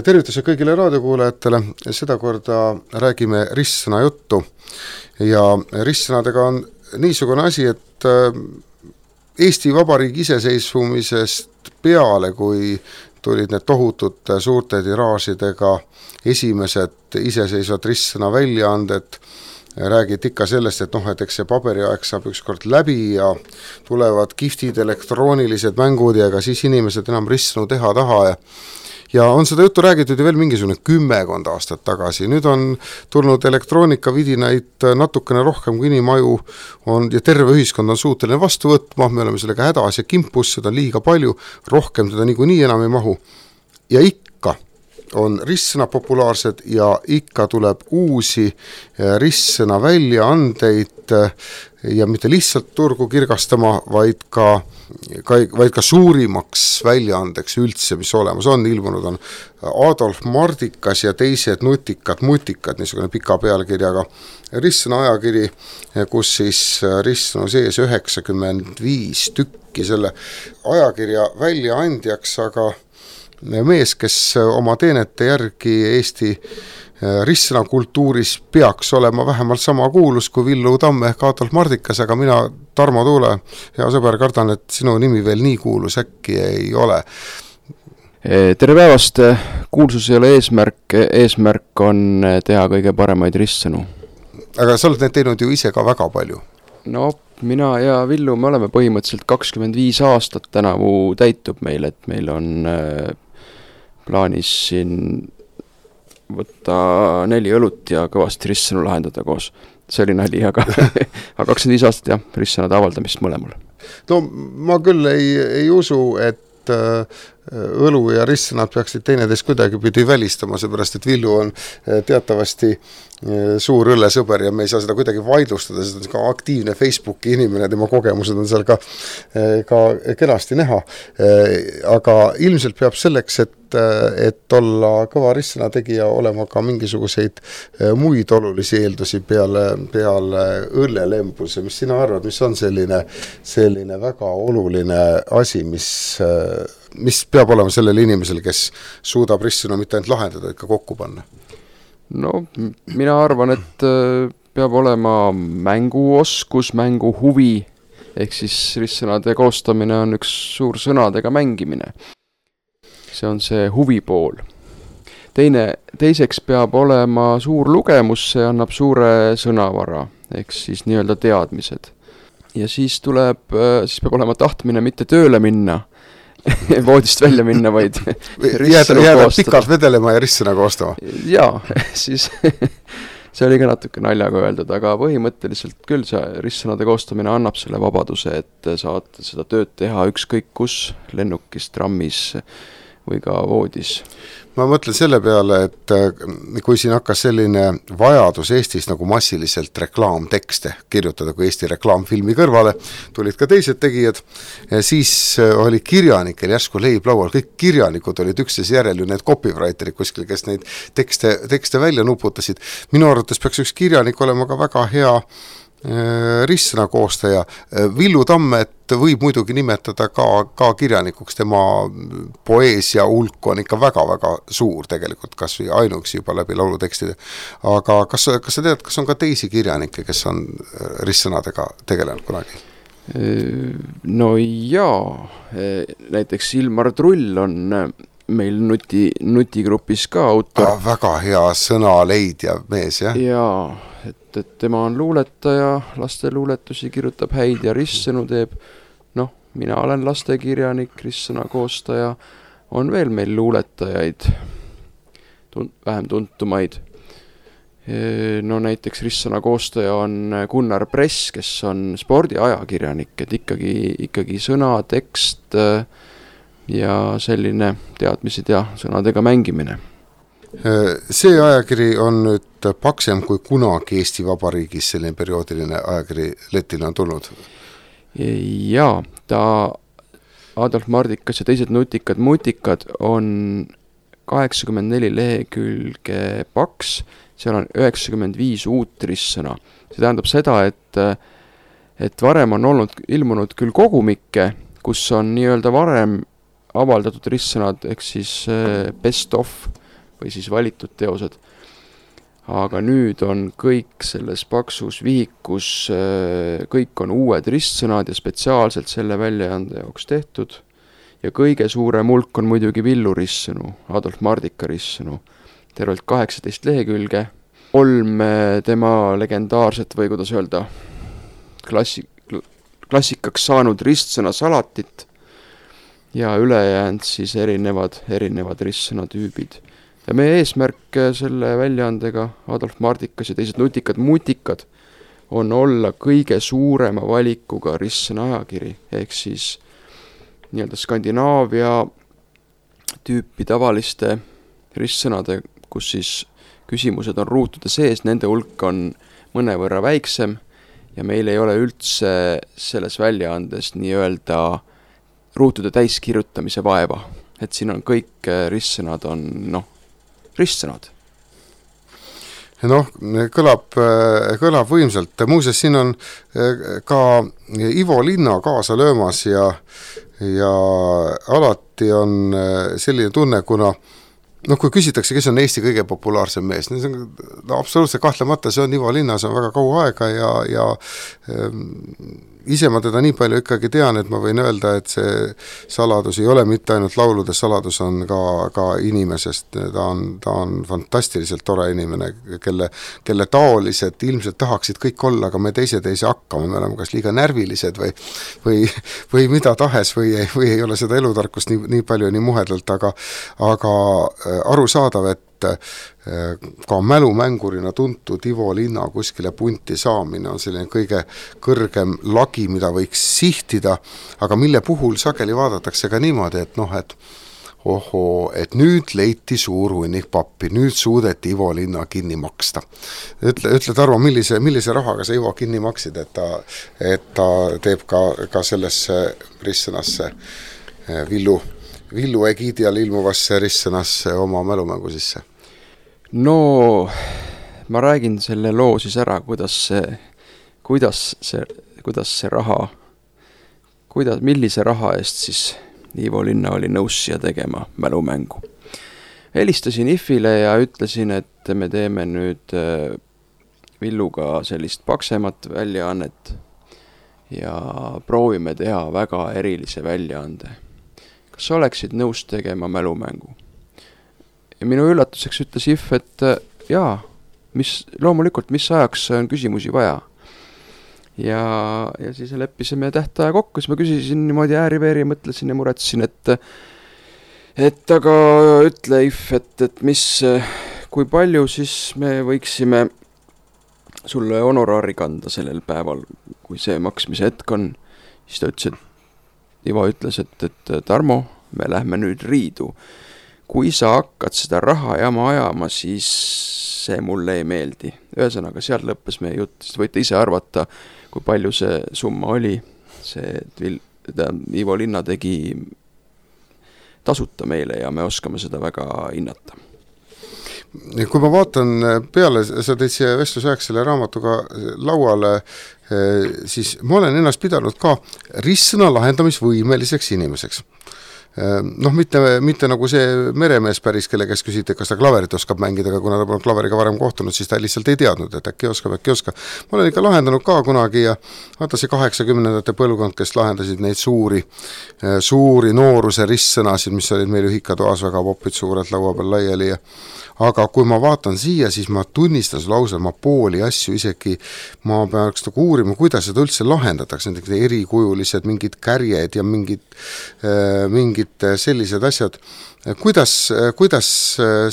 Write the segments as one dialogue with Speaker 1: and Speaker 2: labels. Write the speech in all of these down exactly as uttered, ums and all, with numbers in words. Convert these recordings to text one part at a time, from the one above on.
Speaker 1: Tervituse kõigile raadiokuulajatele, seda korda räägime ristsõna juttu ja ristsõnadega on niisugune asi, et Eesti Vabariigi iseseisvumisest peale, kui tulid need tohutud suurte tiraažidega esimesed iseseisvad ristsõna väljaanded, räägid ikka sellest, et noh, et eks see paberiaeg saab ükskord läbi ja tulevad kihvtid elektroonilised mängud ja ega siis inimesed enam ristsõnu teha taha ja Ja on seda juttu räägitud ju veel mingisugune kümmekond aastat tagasi. Nüüd on tulnud elektroonikavidinaid natukene rohkem kui inimaju on, ja terve ühiskond on suuteline vastu võtma, me oleme sellega hädas ja kimpus, seda on liiga palju, rohkem seda niikuinii enam ei mahu. Ja ikka on ristsõna populaarsed ja ikka tuleb uusi ristsõna väljaandeid ja mitte lihtsalt turgu kirgastama, vaid ka, ka, vaid ka suurimaks väljaandeks üldse, mis olemas on, ilmunud on Adolf Mardikas ja teised nutikad mutikad, niisugune pika pealkirjaga ristsõna ajakiri, kus siis ristsõnu sees üheksakümmend viis tükki selle ajakirja väljaandjaks, aga mees, kes oma teenete järgi Eesti ristsõna kultuuris peaks olema vähemalt sama kuulus kui Villu Tamme ehk Adolf Mardikas, aga mina, Tarmo Tuule, hea sõber, kardan, et sinu nimi veel nii kuulus äkki ei ole.
Speaker 2: Tere päevast, kuulsus ei ole eesmärk, eesmärk on teha kõige paremaid ristsõnu.
Speaker 1: Aga sa oled need teinud ju ise ka väga palju.
Speaker 2: No, mina ja Villu, me oleme põhimõtteliselt kakskümmend viis aastat tänavu täitub meil, et meil on plaanis siin võtta neli õlut ja kõvasti ristsõnu lahendada koos. See oli nali, aga, aga kakskümmend viis aastat jah, ristsõnade avaldamist mõlemal.
Speaker 1: No ma küll ei, ei usu, et õlu ja ristsõnad peaksid teineteist kuidagi pidi välistama, seepärast, et Villu on teatavasti suur õllesõber ja me ei saa seda kuidagi vaidlustada, seda on ka aktiivne Facebooki inimene, tema kogemused on seal ka, ka kenasti näha. Aga ilmselt peab selleks, et, et olla kõva ristsõna tegija, olema ka mingisuguseid muid olulisi eeldusi peale, peale õllelembuse. Mis sina arvad, mis on selline, selline väga oluline asi, mis, mis peab olema sellel inimesel, kes suudab ristsõnu mitte ainult lahendada, vaid ka kokku panna?
Speaker 2: No, mina arvan, et peab olema mänguoskus, mängu huvi, ehk siis ristsõnade koostamine on üks suur sõnadega mängimine. See on see huvi pool. Teine, teiseks peab olema suur lugemus, see annab suure sõnavara, ehk siis nii-öelda teadmised. Ja siis tuleb, siis peab olema tahtmine mitte tööle minna, voodist välja minna, vaid
Speaker 1: jääda, jääda pikalt vedelema ja ristsõna koostama.
Speaker 2: Jaa, siis see oli ka natuke naljaga öeldud, aga põhimõtteliselt küll see ristsõnade koostamine annab selle vabaduse, et saad seda tööd teha ükskõik kus, lennukis, trammis või ka voodis.
Speaker 1: Ma mõtlen selle peale, et kui siin hakkas selline vajadus Eestis nagu massiliselt reklaamtekste kirjutada, kui Eesti reklaamfilmi kõrvale tulid ka teised tegijad, siis oli kirjanikel järsku leib laual, kõik kirjanikud olid üksteis järel ju need copywriterid kuskil, kes neid tekste, tekste välja nuputasid. Minu arvates peaks üks kirjanik olema ka väga hea ristsõna koostaja. Villu Tammet võib muidugi nimetada ka, ka kirjanikuks, tema poeesia hulk on ikka väga-väga suur tegelikult, kas või ainuks juba läbi laulutekstide. Aga kas, kas sa tead, kas on ka teisi kirjanikke, kes on ristsõnadega tegelenud kunagi?
Speaker 2: No jaa, näiteks Ilmar Trull on meil nuti, nutigrupis ka autor.
Speaker 1: Ah, väga hea sõnaleidja mees, jah?
Speaker 2: Jaa, et, et tema on luuletaja, laste luuletusi kirjutab häid ja ristsõnu teeb. Noh, mina olen lastekirjanik, ristsõna koostaja, on veel meil luuletajaid, tunt, vähem tuntumaid. No näiteks ristsõna koostaja on Gunnar Press, kes on spordiajakirjanik, et ikkagi, ikkagi sõna, tekst ja selline teadmised ja sõnadega mängimine.
Speaker 1: See ajakiri on nüüd paksem kui kunagi Eesti Vabariigis, selline perioodiline ajakiri letile on tulnud?
Speaker 2: Jaa, ta Adolf Mardikas ja teised nutikad mutikad on kaheksakümmend neli lehekülge paks, seal on üheksakümmend viis uut ristsõna. See tähendab seda, et, et varem on olnud ilmunud küll kogumikke, kus on nii-öelda varem avaldatud ristsõnad, ehk siis best of, või siis valitud teosed. Aga nüüd on kõik selles paksus vihikus, kõik on uued ristsõnad ja spetsiaalselt selle väljaande jaoks tehtud. Ja kõige suurem hulk on muidugi Villu ristsõnu, Adolf Mardika ristsõnu. Tervelt kaheksateist lehekülge, kolm tema legendaarset või kuidas öelda, klassi, klassikaks saanud ristsõna salatit ja ülejäänud siis erinevad, erinevad ristsõna tüübid. Ja meie eesmärk selle väljaandega, Adolf Mardikas ja teised nutikad mutikad, on olla kõige suurema valikuga ristsõna ajakiri, ehk siis nii-öelda Skandinaavia tüüpi tavaliste ristsõnade, kus siis küsimused on ruutude sees, nende hulk on mõnevõrra väiksem ja meil ei ole üldse selles väljaandes nii-öelda ruutude täiskirjutamise vaeva. Et siin on kõik ristsõnad on, noh, ristsõnad.
Speaker 1: Noh, kõlab, kõlab võimsalt. Muuseas, siin on ka Ivo Linna kaasa löömas ja, ja alati on selline tunne, kuna noh, kui küsitakse, kes on Eesti kõige populaarsem mees, no, no absoluutselt kahtlemata see on Ivo Linna, see on väga kaua aega ja, ja ähm, ise ma teda nii palju ikkagi tean, et ma võin öelda, et see saladus ei ole mitte ainult lauludes, saladus on ka, ka inimesest, ta on, ta on fantastiliselt tore inimene, kelle, kelle taolised ilmselt tahaksid kõik olla, aga me teised ei saa hakkama, me oleme kas liiga närvilised või, või, või mida tahes või ei, või ei ole seda elutarkust nii, nii palju nii muhedalt, aga, aga arusaadav, et ka mälumängurina tuntud Ivo Linna kuskile punti saamine on selline kõige kõrgem lagi, mida võiks sihtida, aga mille puhul sageli vaadatakse ka niimoodi, et noh, et ohoo, et nüüd leiti suur hunnik pappi, nüüd suudeti Ivo Linna kinni maksta. Ütle, ütle Tarmo, millise, millise rahaga sa Ivo kinni maksid, et ta, et ta teeb ka, ka sellesse ristsõnasse Villu, Villu egiidial ilmuvasse ristsõnasse oma mälumängu sisse?
Speaker 2: No, ma räägin selle loo siis ära, kuidas see, kuidas see, kuidas see raha, kuidas, millise raha eest siis Ivo Linna oli nõus siia tegema mälumängu. Helistasin Ifile ja ütlesin, et me teeme nüüd Villuga sellist paksemat väljaannet ja proovime teha väga erilise väljaande. Kas sa oleksid nõus tegema mälumängu? Ja minu üllatuseks ütles If, et jaa, mis, loomulikult, mis ajaks on küsimusi vaja. Ja, ja siis leppisime tähtaja kokku, siis ma küsisin niimoodi ääri-veeri, mõtlesin ja muretsin, et et aga ütle If, et, et mis, kui palju siis me võiksime sulle honoraari kanda sellel päeval, kui see maksmise hetk on. Siis ta ütles, et Ivo ütles, et, et Tarmo, me lähme nüüd riidu. Kui sa hakkad seda raha jama ajama, siis see mulle ei meeldi. Ühesõnaga, seal lõppes meie jutt, siis võite ise arvata, kui palju see summa oli. See ta, Ivo Linna tegi tasuta meile ja me oskame seda väga hinnata.
Speaker 1: Kui ma vaatan peale, sa teid siia vestlusajaks selle raamatuga lauale, siis ma olen ennast pidanud ka ristsõna lahendamisvõimeliseks inimeseks. Noh, mitte, mitte nagu see meremees päris, kelle kes küsiti, kas ta klaverit oskab mängida, aga kuna ta pole klaveriga varem kohtunud, siis ta lihtsalt ei teadnud, et äkki oskab, äkki oskab. Ma olen ikka lahendanud ka kunagi ja vaata see kaheksakümnendate põlvkond, kes lahendasid neid suuri, suuri nooruse ristsõnasid, mis olid meil ühikatoas väga popid suurelt laua peal laiali ja aga kui ma vaatan siia, siis ma tunnistan sulle ausalt, ma pooli asju isegi, ma peaks nagu uurima, kuidas seda üldse lahendatakse, nendega erikujulised mingid kärjed ja mingid, mingid sellised asjad. Kuidas, kuidas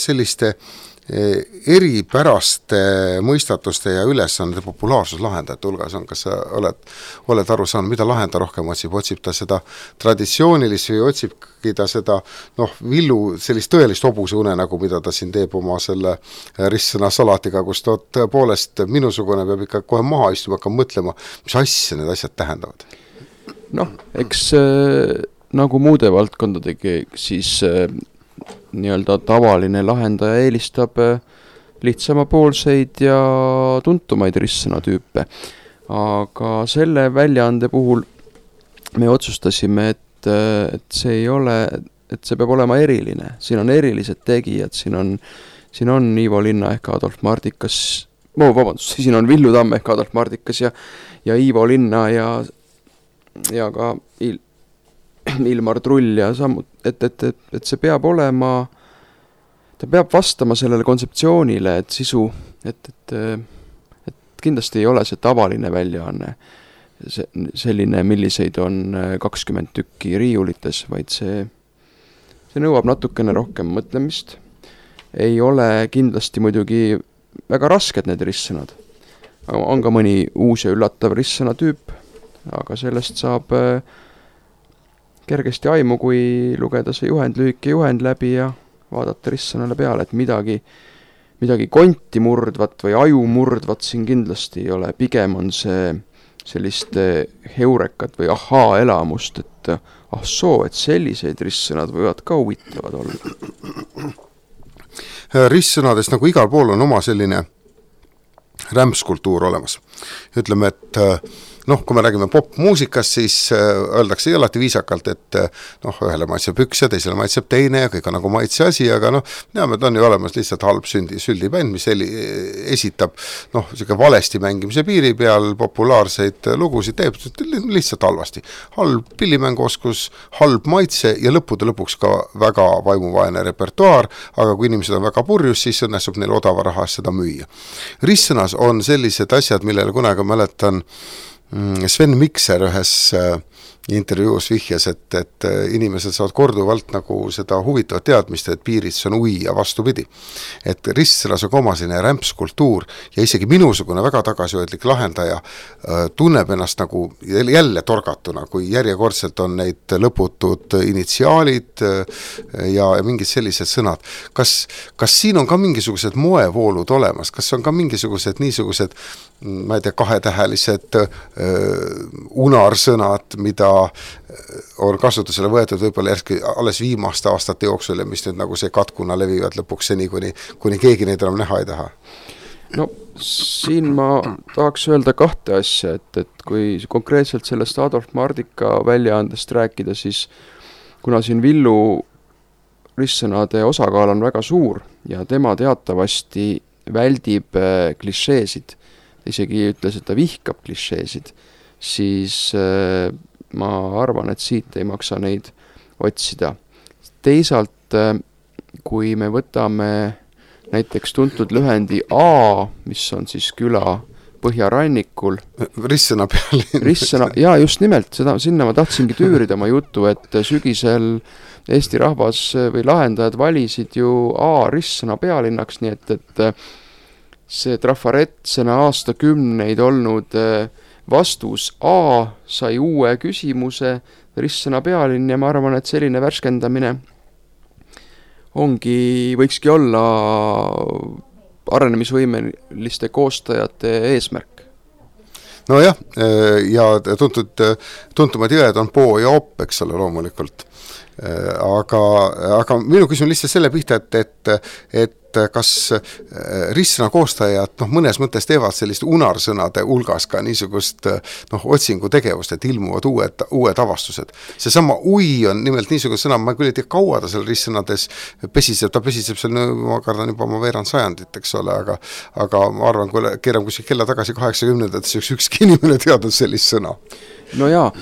Speaker 1: selliste eripäraste mõistatuste ja ülesannete populaarsus lahendajate hulgas on, kas sa oled, oled aru saanud, mida lahenda rohkem otsib, otsib ta seda traditsioonilist või otsibki ta seda, noh, Villu sellist tõelist hobuse une, nagu mida ta siin teeb oma selle ristsõna salatiga, kus ta tõepoolest minusugune peab ikka kohe maha istuma, hakka mõtlema, mis asja need asjad tähendavad?
Speaker 2: Noh, eks äh, nagu muude valdkondadegi, siis äh, nii-öelda tavaline lahendaja eelistab lihtsamapoolseid ja tuntumaid ristsõnatüüpe. Aga selle väljaande puhul me otsustasime, et, et see ei ole et see peab olema eriline, siin on erilised tegijad, siin on, siin on Ivo Linna ehk Adolf Mardikas, no vabandust, siin on Villu Tamm ehk Adolf Mardikas ja, ja Ivo Linna ja, ja ka Il, Ilmar Trull ja sammut, et, et, et, et see peab olema, ta peab vastama sellele kontseptsioonile, et sisu, et, et, et kindlasti ei ole see tavaline väljaanne, see, selline, milliseid on kakskümmend tükki riiulites, vaid see, see nõuab natukene rohkem mõtlemist. Ei ole kindlasti muidugi väga rasked need ristsõnad. On ka mõni uus ja üllatav ristsõna tüüp, aga sellest saab kergesti aimu, kui lugeda see juhend, lühike juhend läbi ja vaadata ristsõnale peale, et midagi, midagi konti murdvat või aju murdvat siin kindlasti ei ole. Pigem on see sellist heurekat või ahaa elamust, et ah soo, et selliseid ristsõnad võivad ka huvitavad olla.
Speaker 1: Ristsõnadest nagu igal pool on oma selline rämpskultuur olemas. Ütleme, et noh, kui me räägime popmuusikast, siis öeldakse alati viisakalt, et noh, ühele maitseb üks ja teisele maitseb teine ja kõik on nagu maitse asi, aga noh, näeme, et on ju olemas lihtsalt halb sündi, süldibänd, mis eli, esitab noh, selline valesti mängimise piiri peal populaarseid lugusid, teeb lihtsalt halvasti. Halb pillimänguoskus, halb maitse ja lõppude lõpuks ka väga vaimuvaene repertuaar, aga kui inimesed on väga purjus, siis õnnestub neil odava raha seda müüa. Ristsõnas on sellised asjad, millele kunagi mäletan Sven Mikser ühes intervjuus vihjas, et, et inimesed saavad korduvalt nagu seda huvitavat teadmist, et piirits on ui ja vastupidi. Et ristsõnas on oma selline rämpskultuur ja isegi minusugune väga tagasihoidlik lahendaja tunneb ennast nagu jälle torgatuna, kui järjekordselt on neid lõputud initsiaalid ja mingid sellised sõnad. Kas, kas siin on ka mingisugused moevoolud olemas? Kas on ka mingisugused niisugused, ma ei tea, kahetähelised unarsõnad, mida on kasutusele võetud võib-olla järski alles viimaste aastate jooksul ja mis nüüd nagu see katkuna levivad lõpuks seni, kuni, kuni keegi neid enam näha ei taha?
Speaker 2: No siin ma tahaks öelda kahte asja, et, et kui konkreetselt sellest Adolf Mardika väljaandest rääkida, siis kuna siin Villu ristsõnade osakaal on väga suur ja tema teatavasti väldib klišeesid, isegi ütles, et ta vihkab klišeesid, siis äh, ma arvan, et siit ei maksa neid otsida. Teisalt, äh, kui me võtame näiteks tuntud lühendi A, mis on siis küla põhjarannikul.
Speaker 1: Ristsõna pealinn.
Speaker 2: Ristsõna, jaa, just nimelt, seda, sinna ma tahtsingi tüürida oma jutu, et sügisel Eesti rahvas või lahendajad valisid ju A ristsõna pealinnaks, nii et, et see trafaretsena aastakümneid olnud vastus A sai uue küsimuse, ristsõna pealinn ja ma arvan, et selline värskendamine ongi, võikski olla arenemisvõimeliste koostajate eesmärk.
Speaker 1: No jah, ja tuntud, tuntumad jõed on Poo ja Opp, eks ole, loomulikult. Aga, aga minu küsimus lihtsalt selle pihta, et, et, et kas ristsõna koostajad noh, mõnes mõttes teevad sellist unarsõnade hulgas ka niisugust noh, otsingutegevust, et ilmuvad uued, uued avastused. See sama ui on nimelt niisugune sõna, ma küll ei tea, kaua ta seal ristsõnades pesiseb, ta pesiseb seal, ma kardan juba oma veerand sajandit, eks ole, aga, aga ma arvan, kui keeram kuskil kella tagasi kaheksakümnendates üks ükski inimene teadnud sellist sõna.
Speaker 2: No jaa,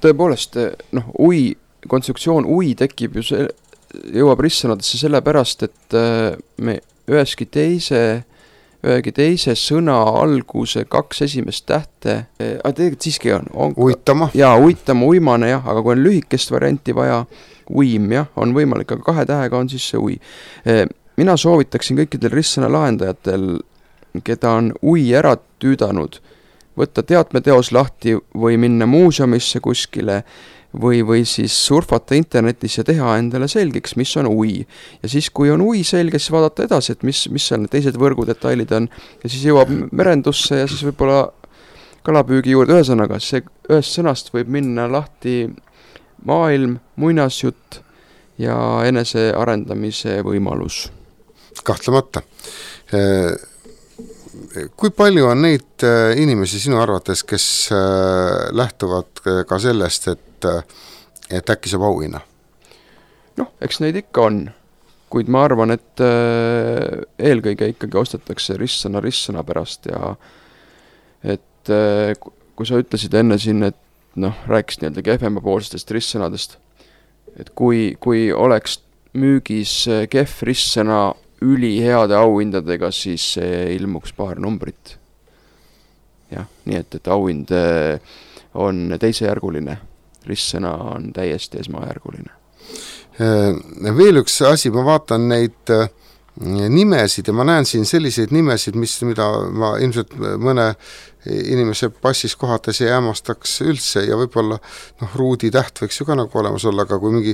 Speaker 2: tõepoolest, noh, ui, konstruktsioon ui tekib ju see, jõuab ristsõnadesse sellepärast, et me üheski teise, ühegi teise sõna alguse kaks esimest tähte, aga tegelikult siiski on, on.
Speaker 1: Uitama.
Speaker 2: Jaa, uitama, uimane jah, aga kui on lühikest varianti vaja, uim jah, on võimalik, aga kahe tähega on siis see ui. Mina soovitaksin kõikidel ristsõna lahendajatel, keda on ui ära tüüdanud, võtta teatmeteos lahti või minna muuseumisse kuskile, või, või siis surfata internetis ja teha endale selgeks, mis on ui. Ja siis, kui on ui selge, siis vaadata edasi, et mis, mis seal need teised võrgudetailid on. Ja siis jõuab merendusse ja siis võib-olla kalapüügi juurde. Ühesõnaga, see ühest sõnast võib minna lahti maailm, muinasjutt ja enese arendamise võimalus.
Speaker 1: Kahtlemata. Kui palju on neid inimesi sinu arvates, kes lähtuvad ka sellest, et, et äkki saab auhinna?
Speaker 2: noh, eks neid ikka on, kuid ma arvan, et äh, eelkõige ikkagi ostetakse ristsõna ristsõna pärast ja et äh, kui sa ütlesid enne siin, et noh, rääkisid nii-öelda kehvemapoolsetest ristsõnadest, et kui, kui oleks müügis kehv ristsõna üliheade auhindadega, siis ilmuks paar numbrit. jah, nii et, et auhind on teisejärguline, ristsõna on täiesti esmajärguline.
Speaker 1: Veel üks asi, ma vaatan neid nimesid ja ma näen siin selliseid nimesid, mis, mida ma ilmselt mõne inimese passis kohates ei hämmastaks üldse ja võib-olla noh, ruudi täht võiks ju ka nagu olemas olla, aga kui mingi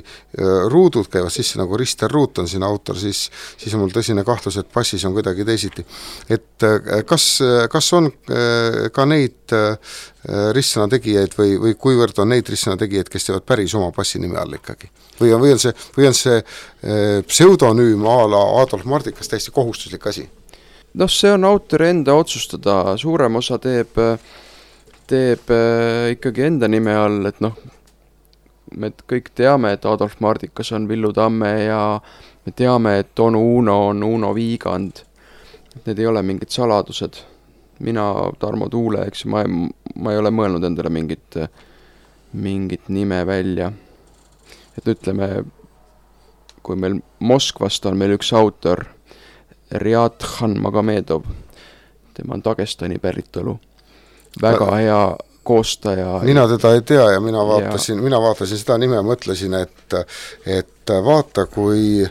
Speaker 1: ruudud käivad sisse, nagu Rister Ruut on siin autor, siis, siis on mul tõsine kahtlus, et passis on kuidagi teisiti. Et kas, kas on ka neid ristsõna tegijaid või, või kuivõrd on neid ristsõna tegijaid, kes teevad päris oma passi nime all ikkagi? Või on, või on see, või on see pseudonüüm a la Adolf Mardikas täiesti kohustuslik asi?
Speaker 2: noh, see on autori enda otsustada, suurem osa teeb, teeb ikkagi enda nime all, et noh, me kõik teame, et Adolf Mardikas on Villu Tamme ja me teame, et onu Uno on Uno Viigand. Need ei ole mingid saladused. Mina, Tarmo Tuule, eks ma, ma ei ole mõelnud endale mingit, mingit nime välja. Et ütleme, kui meil Moskvast on meil üks autor, Riat-Khan Magomedov, tema on Dagestani päritolu, väga hea koostaja.
Speaker 1: Mina teda ei tea ja mina vaatasin, ja... mina vaatasin seda nime ja mõtlesin, et, et vaata, kui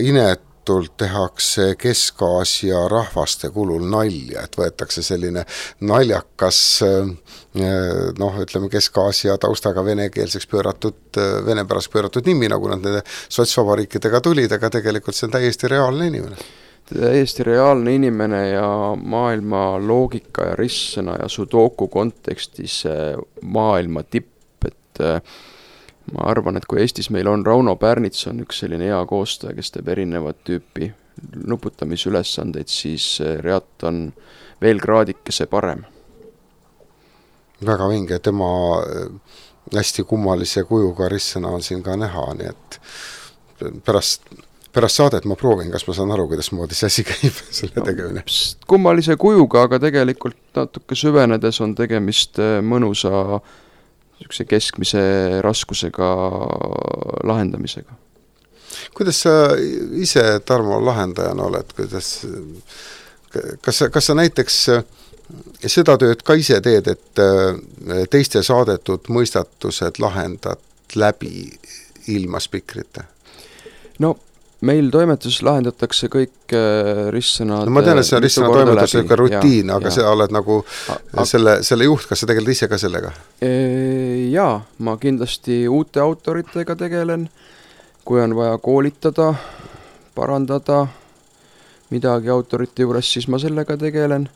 Speaker 1: inetult tehakse Kesk-Aasia rahvaste kulul nalja, et võetakse selline naljakas, noh, ütleme Kesk-Aasia taustaga venekeelseks pööratud, vene pärast pööratud nimi, nagu nad nende sotsvabariikidega tulid, aga tegelikult see on täiesti reaalne inimene.
Speaker 2: Täiesti reaalne inimene ja maailma loogika ja ristsõna ja sudoku kontekstis maailma tipp, et ma arvan, et kui Eestis meil on Rauno Pärnits on üks selline hea koostaja, kes teeb erinevat tüüpi nuputamisülesandeid, siis Reat on veel kraadikese parem.
Speaker 1: Väga vinge, tema hästi kummalise kujuga ristsõna on siin ka näha, nii et pärast Pärast saadet ma proovin, kas ma saan aru, kuidas moodi see asi käib selle tegemine.
Speaker 2: No, kummalise kujuga, aga tegelikult natuke süvenedes on tegemist mõnusa keskmise raskusega lahendamisega.
Speaker 1: Kuidas sa ise, Tarmo, lahendajana oled? Kuidas, kas, sa, kas sa näiteks seda tööd ka ise teed, et teiste saadetud mõistatused lahendad läbi ilma spikrite?
Speaker 2: No, meil toimetuses lahendatakse kõik ristsõnad.
Speaker 1: No ma tean, et see on ristsõna toimetusega rutiin, ja, aga ja. Sa oled nagu a, selle, selle juht, kas sa tegeled ise ka sellega?
Speaker 2: Jaa, ma kindlasti uute autoritega tegelen, kui on vaja koolitada, parandada midagi autorite juures, siis ma sellega tegelen.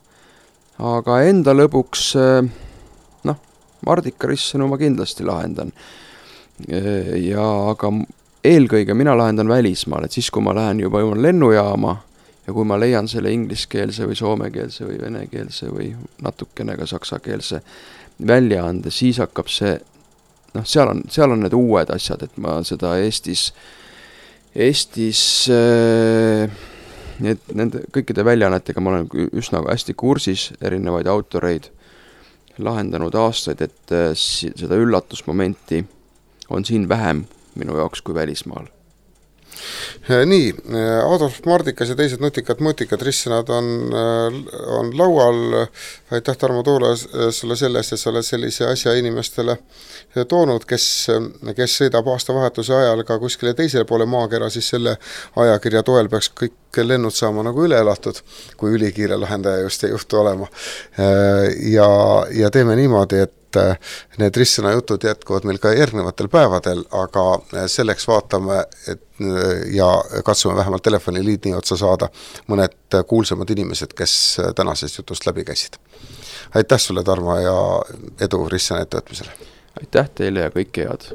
Speaker 2: Aga enda lõbuks, noh, Mardika ristsõnu ma kindlasti lahendan. Ja aga eelkõige mina lahendan välismaal, et siis kui ma lähen juba lennujaama ja kui ma leian selle ingliskeelse või soomekeelse või venekeelse või natukene ka saksakeelse väljaande, siis hakkab see, noh, seal on, seal on need uued asjad, et ma seda Eestis, Eestis need, nende kõikide väljaannetega ma olen üsna hästi kursis, erinevaid autoreid lahendanud aastaid, et seda üllatusmomenti on siin vähem minu jaoks kui välismaal.
Speaker 1: Nii, Adolf Mardikas ja teised nutikad mõtikad ristsõnad on, on laual. Aitäh, Tarmo Tuule, sulle sellest, et sa oled sellise asja inimestele toonud, kes, kes sõidab aastavahetuse ajal ka kuskile teisele poole maakera, siis selle ajakirja toel peaks kõik lennud saama nagu üle elatud, kui ülikiire lahendaja just ei juhtu olema. Ja, ja teeme niimoodi, et need ristsõna jutud jätkuvad meil ka järgnevatel päevadel, aga selleks vaatame et, ja katsume vähemalt telefoniliidni otsa saada mõned kuulsamad inimesed, kes tänasest jutust läbi käisid. Aitäh sulle, Tarmo, ja edu ristsõna ettevõtmisele!
Speaker 2: Aitäh teile ja kõike head!